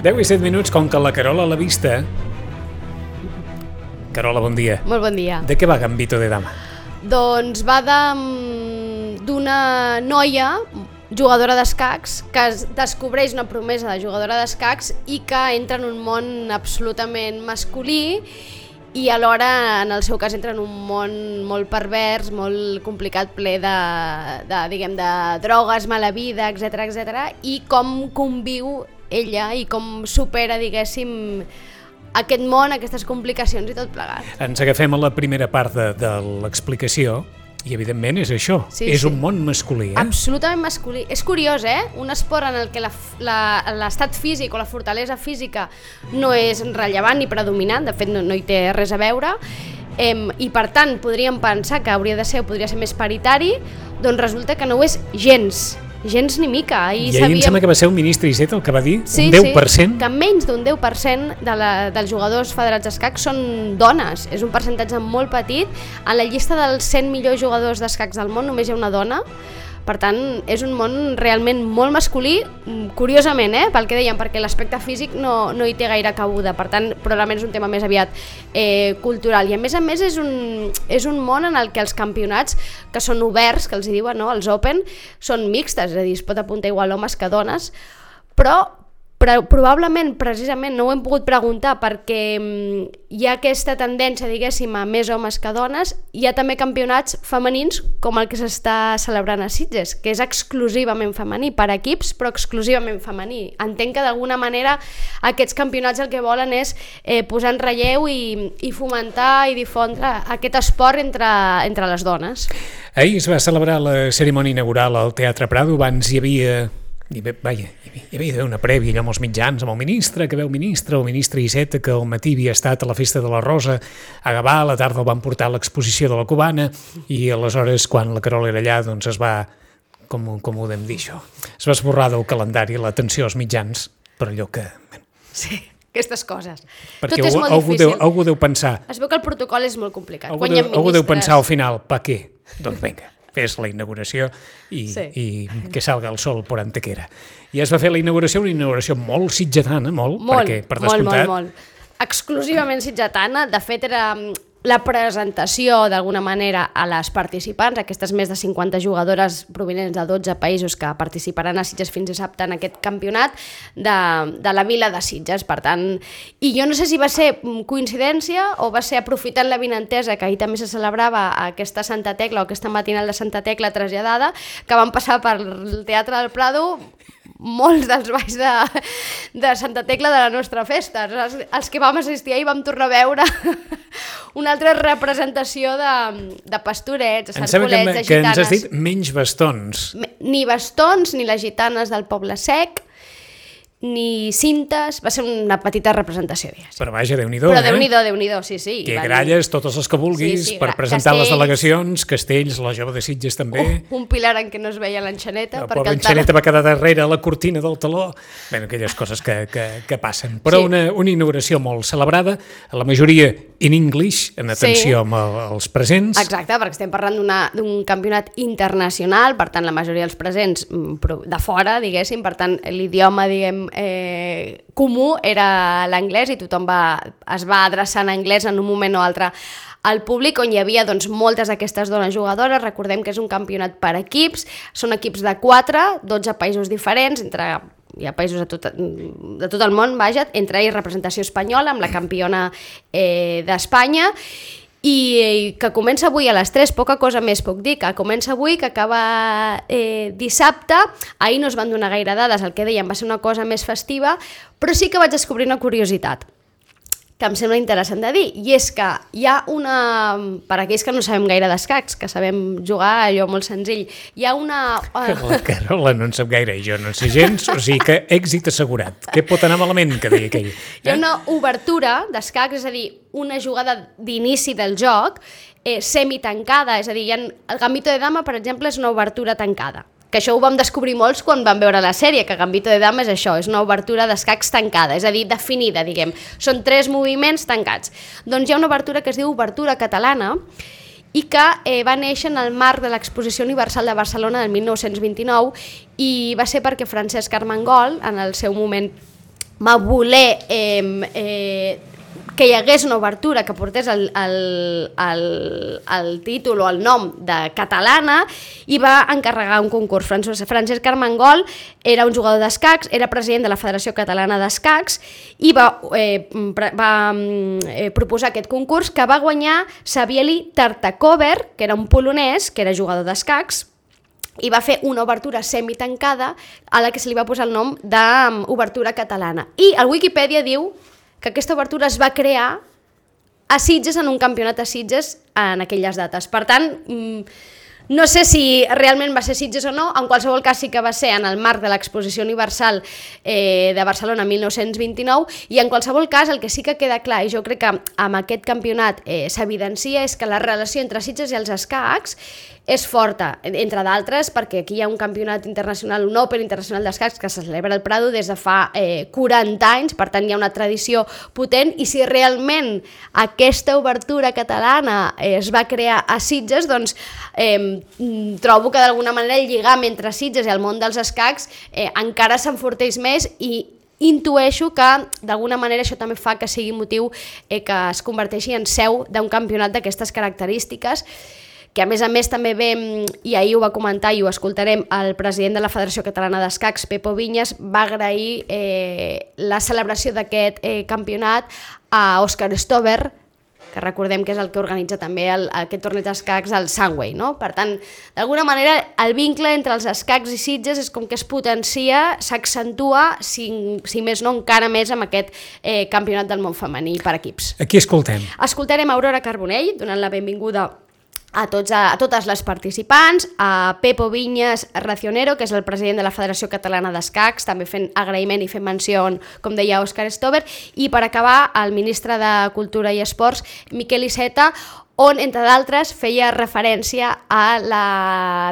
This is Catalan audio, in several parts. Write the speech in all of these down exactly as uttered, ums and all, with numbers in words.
deu i set minuts, com que la Carola l'ha vista. Carola, bon dia. Molt bon dia. De què va Gambito de Dama? Doncs va d'una noia jugadora d'escacs que es descobreix una promesa de jugadora d'escacs i que entra en un món absolutament masculí i alhora, en el seu cas, entra en un món molt pervers, molt complicat, ple de, de, diguem, de drogues, mala vida, etcètera, etcètera, i com conviu ella i com supera, diguéssim, aquest món, aquestes complicacions i tot plegat. Ens agafem a la primera part de, de l'explicació i, evidentment, és això. Sí, és sí. Un món masculí, eh? Absolutament masculí. És curiós, eh? Un esport en el que l'estat físic o la fortalesa física no és rellevant ni predominant, de fet no, no hi té res a veure, eh, i per tant podríem pensar que hauria de ser o podria ser més paritari, doncs resulta que no ho és gens. Gens ni mica. I ahir sabíem... em sembla que va ser un ministre Iceta el que va dir, sí, un deu per cent. Sí, que menys d'un deu per cent de la, dels jugadors federats d'escacs són dones. És un percentatge molt petit. En la llista dels cent millors jugadors d'escacs del món només hi ha una dona. Per tant, és un món realment molt masculí, curiosament, eh, pel que dèiem, perquè l'aspecte físic no, no hi té gaire cabuda. Per tant, probablement és un tema més aviat eh, cultural. I a més a més és un, és un món en el que els campionats, que són oberts, que els hi diuen, no? Els Open, són mixtes, és a dir, es pot apuntar igual homes que dones, però Però probablement, precisament, no ho hem pogut preguntar perquè hi ha aquesta tendència, diguéssim, a més homes que dones. Hi ha també campionats femenins com el que s'està celebrant a Sitges, que és exclusivament femení, per equips, però exclusivament femení. Entenc que d'alguna manera aquests campionats el que volen és eh, posar en relleu i, i fomentar i difondre aquest esport entre, entre les dones. Ahir es va celebrar la cerimònia inaugural al Teatre Prado. Abans hi havia... I bé, vaja, hi havia d'haver una prèvia allò amb els mitjans, amb el ministre, que veu ministre, el ministre Iceta, que al matí havia estat a la Festa de la Rosa a Gavà, a la tarda el van portar a l'exposició de la Cubana, i aleshores, quan la Carola era allà, doncs es va, com, com ho podem dir això, es va esborrar del calendari l'atenció als mitjans, per allò que... Sí, aquestes coses. Perquè tot és molt algú difícil. Deu, algú deu pensar... Es veu que el protocol és molt complicat. Algú, deu, algú deu pensar al final, pa què? Doncs vinga, fes la inauguració i, sí. i que salga el sol por Antequera. I es va fer la inauguració, una inauguració molt sitgetana, molt, molt perquè, per molt, descomptat... molt, molt. Exclusivament sitgetana, de fet era la presentació d'alguna manera a les participants, aquestes més de cinquanta jugadores provinents de dotze països que participaran a Sitges fins dissabte en aquest campionat de, de la vila de Sitges, per tant, i jo no sé si va ser coincidència o va ser aprofitant la vinentesa que ahir també se celebrava aquesta Santa Tecla o aquesta matinal de Santa Tecla traslladada, que van passar pel Teatre del Prado molts dels balls de, de Santa Tecla de la nostra festa. Els, els que vam assistir ahir vam tornar a veure una altra representació de, de pastorets, de sarcolets, de gitanes. Que ens has dit menys bastons. Ni bastons, ni les gitanes del Poble Sec, ni cintes, va ser una petita representació. Digues. Però vaja, Déu-n'hi-do, Però eh? Déu-n'hi-do, Déu-n'hi-do, sí, sí. Que gralles, totes les que vulguis, sí, sí, per presentar castells, les delegacions, Castells, la Jove de Sitges també. Uh, un pilar en què no es veia l'enxaneta. La pobra enxaneta va quedar darrere a la cortina del taló. Bé, aquelles coses que, que, que passen. Però sí. una, una inauguració molt celebrada, la majoria in English, en atenció sí. amb el, els presents. Exacte, perquè estem parlant d'un campionat internacional, per tant la majoria dels presents de fora, diguéssim, per tant l'idioma, diguem, eh, comú era l'anglès i tothom va, es va adreçar en anglès en un moment o altre al públic, on hi havia doncs, moltes d'aquestes dones jugadores. Recordem que és un campionat per equips, són equips de quatre, dotze països diferents, entre hi ha països de tot, de tot el món, vaja, entre ells representació espanyola amb la campiona eh, d'Espanya, i que comença avui a les tres, poca cosa més puc dir, que comença avui, que acaba eh, dissabte. Ahir no es van donar gaire dades, el que dèiem va ser una cosa més festiva, però sí que vaig descobrir una curiositat que em sembla interessant de dir, i és que hi ha una, per aquells que no sabem gaire d'escacs, que sabem jugar allò molt senzill, hi ha una... La Carola no en sap gaire i jo no en sé gens, o sigui que èxit assegurat. Què pot anar malament, que deia aquell? Eh? Hi ha una obertura d'escacs, és a dir, una jugada d'inici del joc eh, semitancada, és a dir, hi ha, el Gambito de Dama, per exemple, és una obertura tancada. Que això ho vam descobrir molts quan vam veure la sèrie, que Gambito de Dama és això, és una obertura d'escacs tancada, és a dir, definida, diguem. Són tres moviments tancats. Doncs hi ha una obertura que es diu obertura catalana i que eh, va néixer en el marc de l'Exposició Universal de Barcelona del mil nou-cents vint-i-nou i va ser perquè Francesc Armengol, en el seu moment va voler eh, eh, que hi hagués una obertura que portés el, el, el, el títol o el nom de catalana i va encarregar un concurs. Francesc Armengol era un jugador d'escacs, era president de la Federació Catalana d'Escacs i va, eh, va eh, proposar aquest concurs que va guanyar Savieli Tartakover, que era un polonès, que era jugador d'escacs, i va fer una obertura semitancada a la que se li va posar el nom d'obertura catalana. I el Wikipedia diu que aquesta obertura es va crear a Sitges, en un campionat a Sitges en aquelles dates. Per tant, no sé si realment va ser Sitges o no, en qualsevol cas sí que va ser en el marc de l'Exposició Universal eh, de Barcelona mil nou-cents vint-i-nou, i en qualsevol cas el que sí que queda clar, i jo crec que amb aquest campionat eh, s'evidencia, és que la relació entre Sitges i els escacs és forta, entre d'altres, perquè aquí hi ha un campionat internacional, un Open internacional d'escacs que se celebra al Prado des de fa eh, quaranta anys, per tant hi ha una tradició potent, i si realment aquesta obertura catalana eh, es va crear a Sitges, doncs eh, trobo que d'alguna manera el lligam entre Sitges i el món dels escacs eh, encara s'enforteix més, i intueixo que d'alguna manera això també fa que sigui motiu eh, que es converteixi en seu d'un campionat d'aquestes característiques, que a més a més també ve, i ahir ho va comentar i ho escoltarem, el president de la Federació Catalana d'Escacs, Pepo Viñas, va agrair eh, la celebració d'aquest eh, campionat a Òscar Stover, que recordem que és el que organitza també el, aquest torneig d'escacs al Sunway, no? Per tant, d'alguna manera, el vincle entre els escacs i Sitges és com que es potencia, s'accentua, si, si més no encara més, amb aquest eh, campionat del món femení per equips. Aquí escoltem. Escoltarem Aurora Carbonell, donant la benvinguda a, tots, a, a totes les participants, a Pepo Viñas Racionero, que és el president de la Federació Catalana d'Escacs, també fent agraïment i fent menció, com deia Òscar Stover, i per acabar el ministre de Cultura i Esports, Miquel Iceta, on, entre d'altres, feia referència a la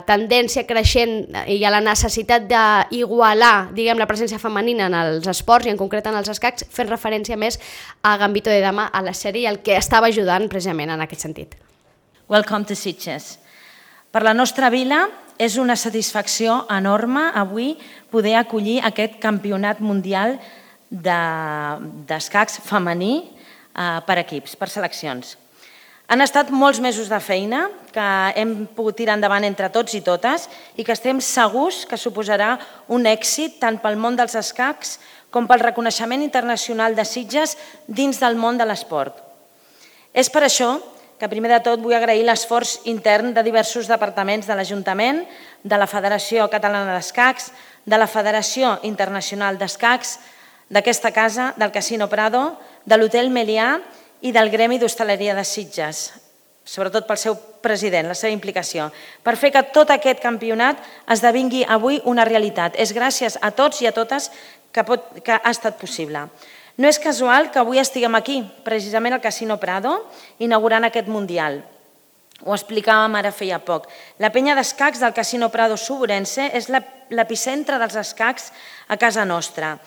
tendència creixent i a la necessitat d'igualar, diguem, la presència femenina en els esports i en concret en els escacs, fent referència més a Gambito de Dama, a la sèrie, i el que estava ajudant precisament en aquest sentit. Welcome to Sitges. Per la nostra vila és una satisfacció enorme avui poder acollir aquest campionat mundial d'escacs femení per equips, per seleccions. Han estat molts mesos de feina que hem pogut tirar endavant entre tots i totes i que estem segurs que suposarà un èxit tant pel món dels escacs com pel reconeixement internacional de Sitges dins del món de l'esport. És per això que primer de tot vull agrair l'esforç intern de diversos departaments de l'Ajuntament, de la Federació Catalana d'Escacs, de la Federació Internacional d'Escacs, d'aquesta casa, del Casino Prado, de l'Hotel Melià i del Gremi d'Hostaleria de Sitges, sobretot pel seu president, la seva implicació, per fer que tot aquest campionat esdevingui avui una realitat. És gràcies a tots i a totes que, pot, que ha estat possible. No és casual que avui estiguem aquí, precisament al Casino Prado, inaugurant aquest Mundial. Ho explicàvem ara feia poc. La penya d'escacs del Casino Prado Suburense és l'epicentre dels escacs a casa nostra.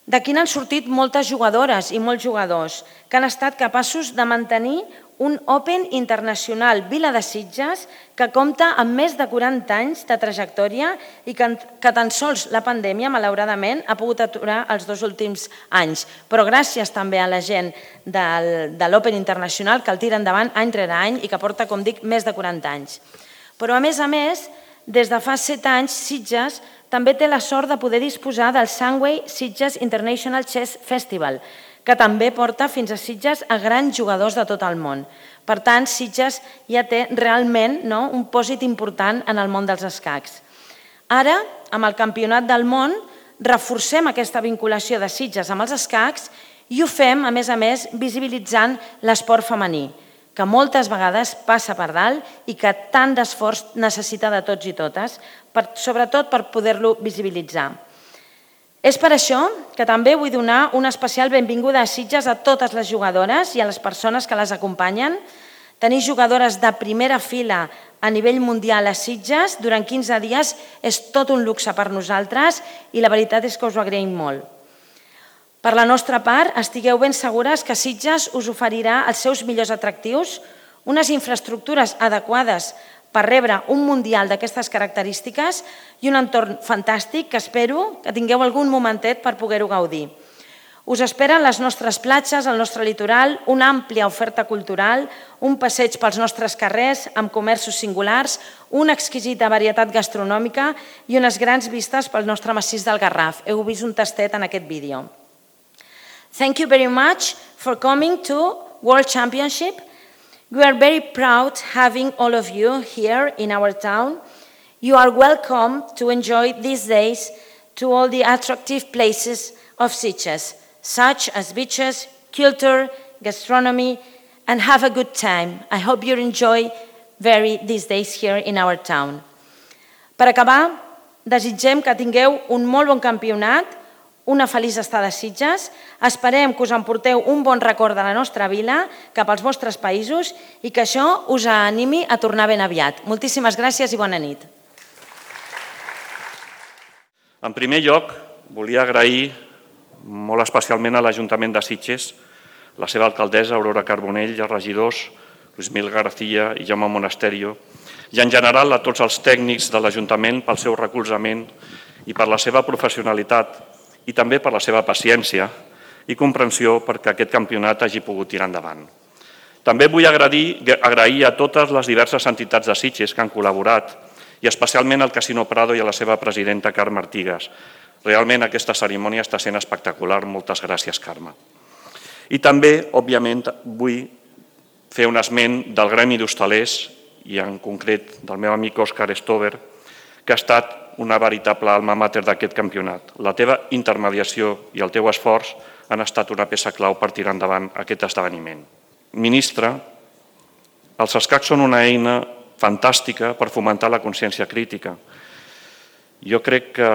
D'aquí n'han sortit moltes jugadores i molts jugadors que han estat capaços de mantenir un Open internacional Vila de Sitges que compta amb més de quaranta anys de trajectòria i que, que tan sols la pandèmia, malauradament, ha pogut aturar els dos últims anys. Però gràcies també a la gent del, de l'Open internacional que el tira endavant any rere any i que porta, com dic, més de quaranta anys. Però, a més a més, des de fa set anys, Sitges també té la sort de poder disposar del Sunway Sitges International Chess Festival, que també porta fins a Sitges a grans jugadors de tot el món. Per tant, Sitges ja té realment no, un pòsit important en el món dels escacs. Ara, amb el Campionat del Món, reforcem aquesta vinculació de Sitges amb els escacs i ho fem, a més a més, visibilitzant l'esport femení, que moltes vegades passa per dalt i que tant d'esforç necessita de tots i totes, per, sobretot per poder-lo visibilitzar. És per això que també vull donar una especial benvinguda a Sitges a totes les jugadores i a les persones que les acompanyen. Tenir jugadores de primera fila a nivell mundial a Sitges durant quinze dies és tot un luxe per nosaltres i la veritat és que us ho agraïm molt. Per la nostra part, estigueu ben segures que Sitges us oferirà els seus millors atractius, unes infraestructures adequades per rebre un mundial d'aquestes característiques i un entorn fantàstic que espero que tingueu algun momentet per poder-ho gaudir. Us esperen les nostres platges, el nostre litoral, una àmplia oferta cultural, un passeig pels nostres carrers amb comerços singulars, una exquisita varietat gastronòmica i unes grans vistes pel nostre massís del Garraf. Heu vist un tastet en aquest vídeo. Thank you very much for coming to World Championship. We are very proud having all of you here in our town. You are welcome to enjoy these days to all the attractive places of Sitges, such as beaches, culture, gastronomy, and have a good time. I hope you enjoy very these days here in our town. Per acabar, desitgem que tingueu un molt bon campionat, una feliç estada a Sitges, esperem que us emporteu un bon record de la nostra vila cap als vostres països i que això us animi a tornar ben aviat. Moltíssimes gràcies i bona nit. En primer lloc, volia agrair molt especialment a l'Ajuntament de Sitges, la seva alcaldessa, Aurora Carbonell, i els regidors, Luis Mil García i Jaume Monasterio, i en general a tots els tècnics de l'Ajuntament pel seu recolzament i per la seva professionalitat i també per la seva paciència i comprensió perquè aquest campionat hagi pogut tirar endavant. També vull agrair, agrair a totes les diverses entitats de Sitges que han col·laborat i especialment al Casino Prado i a la seva presidenta, Carme Artigas. Realment aquesta cerimònia està sent espectacular. Moltes gràcies, Carme. I també, òbviament, vull fer un esment del Gremi d'Hostalers i en concret del meu amic Òscar Stover, que ha estat una veritable alma mater d'aquest campionat. La teva intermediació i el teu esforç han estat una peça clau per tirar endavant aquest esdeveniment. Ministre, els escacs són una eina fantàstica per fomentar la consciència crítica. Jo crec que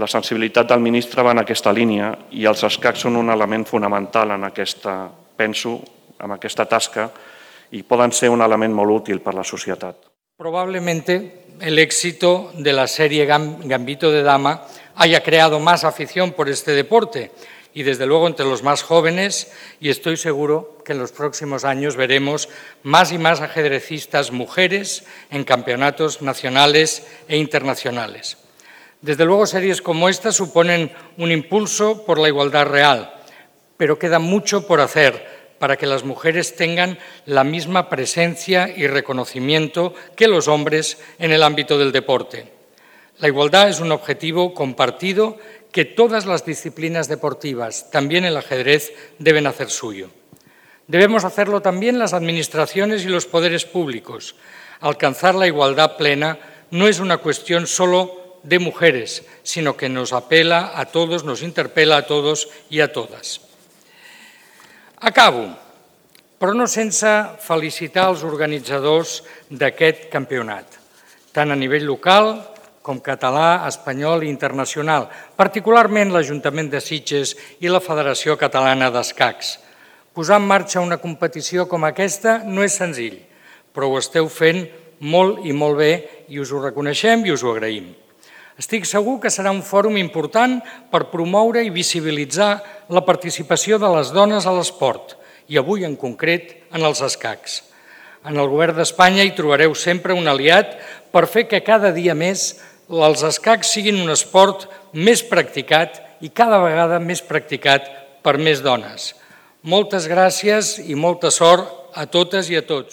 la sensibilitat del ministre va en aquesta línia i els escacs són un element fonamental en aquesta, penso, en aquesta tasca y puedan ser un elemento muy útil para la sociedad. Probablemente el éxito de la serie Gambito de Dama haya creado más afición por este deporte y desde luego entre los más jóvenes, y estoy seguro que en los próximos años veremos más y más ajedrecistas mujeres en campeonatos nacionales e internacionales. Desde luego series como esta suponen un impulso por la igualdad real, pero queda mucho por hacer para que las mujeres tengan la misma presencia y reconocimiento que los hombres en el ámbito del deporte. La igualdad es un objetivo compartido que todas las disciplinas deportivas, también el ajedrez, deben hacer suyo. Debemos hacerlo también las administraciones y los poderes públicos. Alcanzar la igualdad plena no es una cuestión solo de mujeres, sino que nos apela a todos, nos interpela a todos y a todas. Acabo, però no sense felicitar els organitzadors d'aquest campionat, tant a nivell local com català, espanyol i internacional, particularment l'Ajuntament de Sitges i la Federació Catalana d'Escacs. Posar en marxa una competició com aquesta no és senzill, però ho esteu fent molt i molt bé i us ho reconeixem i us ho agraïm. Estic segur que serà un fòrum important per promoure i visibilitzar la participació de les dones a l'esport i avui en concret en els escacs. En el govern d'Espanya hi trobareu sempre un aliat per fer que cada dia més els escacs siguin un esport més practicat i cada vegada més practicat per més dones. Moltes gràcies i molta sort a totes i a tots.